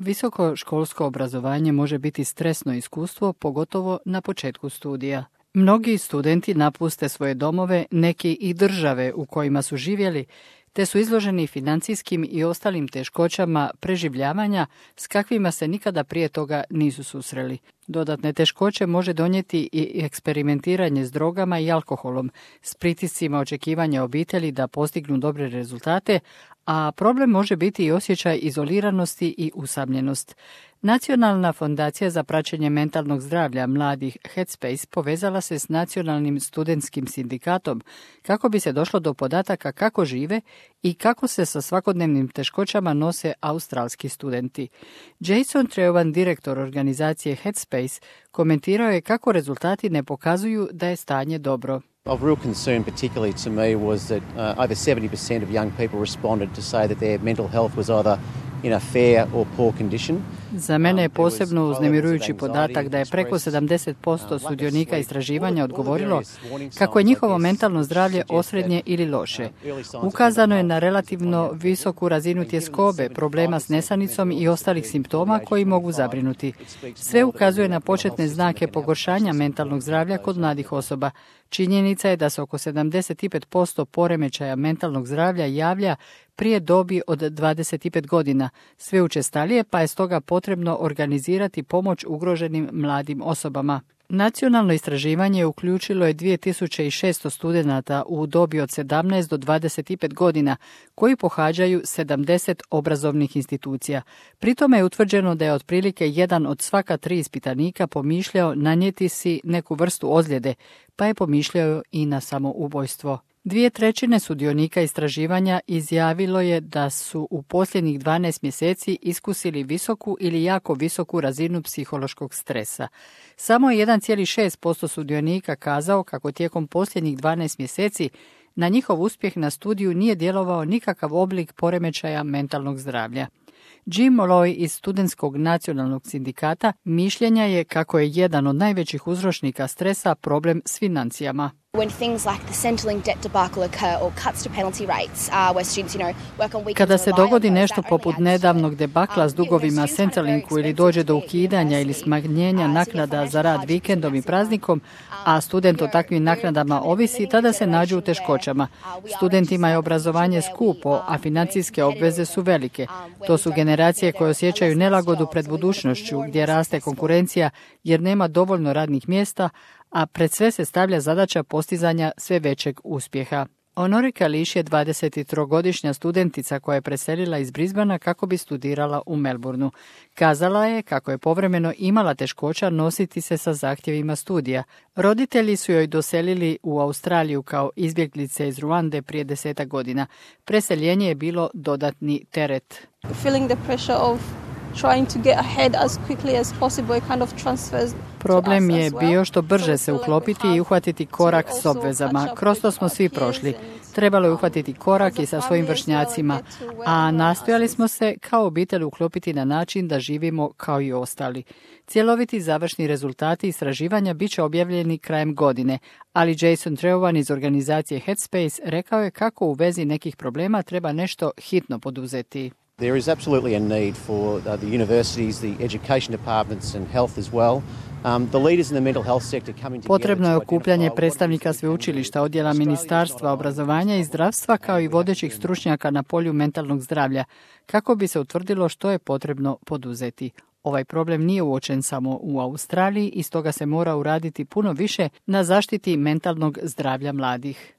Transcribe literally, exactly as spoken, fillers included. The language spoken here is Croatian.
Visokoškolsko obrazovanje može biti stresno iskustvo, pogotovo na početku studija. Mnogi studenti napuste svoje domove, neki i države u kojima su živjeli, te su izloženi financijskim i ostalim teškoćama preživljavanja s kakvima se nikada prije toga nisu susreli. Dodatne teškoće može donijeti i eksperimentiranje s drogama i alkoholom, s pritiscima očekivanja obitelji da postignu dobre rezultate, a problem može biti i osjećaj izoliranosti i usamljenost. Nacionalna fondacija za praćenje mentalnog zdravlja mladih Headspace povezala se s Nacionalnim studentskim sindikatom kako bi se došlo do podataka kako žive i kako se sa svakodnevnim teškoćama nose australski studenti. Jason Treuan, direktor organizacije Headspace, komentirao je kako rezultati ne pokazuju da je stanje dobro. Of real concern particularly to me was that uh, over seventy percent of young people responded to say that their mental health was either in a fair or poor condition. Za mene je posebno uznemirujući podatak da je preko sedamdeset posto sudionika istraživanja odgovorilo kako je njihovo mentalno zdravlje osrednje ili loše. Ukazano je na relativno visoku razinu tjeskobe, problema s nesanicom i ostalih simptoma koji mogu zabrinuti. Sve ukazuje na početne znake pogoršanja mentalnog zdravlja kod mladih osoba. Činjenica je da se oko sedamdeset pet posto poremećaja mentalnog zdravlja javlja prije dobi od dvadeset pet godina, sve učestalije, pa je stoga potrebno organizirati pomoć ugroženim mladim osobama. Nacionalno istraživanje uključilo je dvije tisuće šesto studenata u dobi od sedamnaest do dvadeset pet godina koji pohađaju sedamdeset obrazovnih institucija. Pri tome je utvrđeno da je otprilike jedan od svaka tri ispitanika pomišljao nanijeti si neku vrstu ozljede, pa je pomišljao i na samoubojstvo. Dvije trećine sudionika istraživanja izjavilo je da su u posljednjih dvanaest mjeseci iskusili visoku ili jako visoku razinu psihološkog stresa. Samo je jedan zarez šest posto sudionika kazao kako tijekom posljednjih dvanaest mjeseci na njihov uspjeh na studiju nije djelovao nikakav oblik poremećaja mentalnog zdravlja. Jim Molloy iz Studentskog nacionalnog sindikata mišljenja je kako je jedan od najvećih uzročnika stresa problem s financijama. Kada se dogodi nešto poput nedavnog debakla s dugovima Centrelinku ili dođe do ukidanja ili smanjenja naknada za rad vikendom i praznikom, a student o takvim naknadama ovisi, tada se nađu u teškoćama. Studentima je obrazovanje skupo, a financijske obveze su velike. To su generacije koje osjećaju nelagodu pred budućnošću, gdje raste konkurencija jer nema dovoljno radnih mjesta, a pred sve se stavlja zadaća postizanja sve većeg uspjeha. Honore Kališ je dvadesettrogodišnja studentica koja je preselila iz Brisbanea kako bi studirala u Melbourneu. Kazala je kako je povremeno imala teškoća nositi se sa zahtjevima studija. Roditelji su joj doselili u Australiju kao izbjeglice iz Ruande prije desetak godina. Preseljenje je bilo dodatni teret. Feeling the pressure of trying to get ahead as quickly as possible, it kind of transfers. Problem je bio što brže se uklopiti i uhvatiti korak s obvezama. Kroz to smo svi prošli. Trebalo je uhvatiti korak i sa svojim vršnjacima, a nastojali smo se kao obitelj uklopiti na način da živimo kao i ostali. Cjeloviti završni rezultati istraživanja bit će objavljeni krajem godine, ali Jason Treuan iz organizacije Headspace rekao je kako u vezi nekih problema treba nešto hitno poduzeti. There is absolutely a need for uh, the universities, the education departments and health as well. Um, the leaders in the mental health sector coming together. Potrebno je okupljanje predstavnika sveučilišta, odjela Ministarstva obrazovanja i zdravstva kao i vodećih stručnjaka na polju mentalnog zdravlja kako bi se utvrdilo što je potrebno poduzeti. Ovaj problem nije uočen samo u Australiji i stoga se mora uraditi puno više na zaštiti mentalnog zdravlja mladih.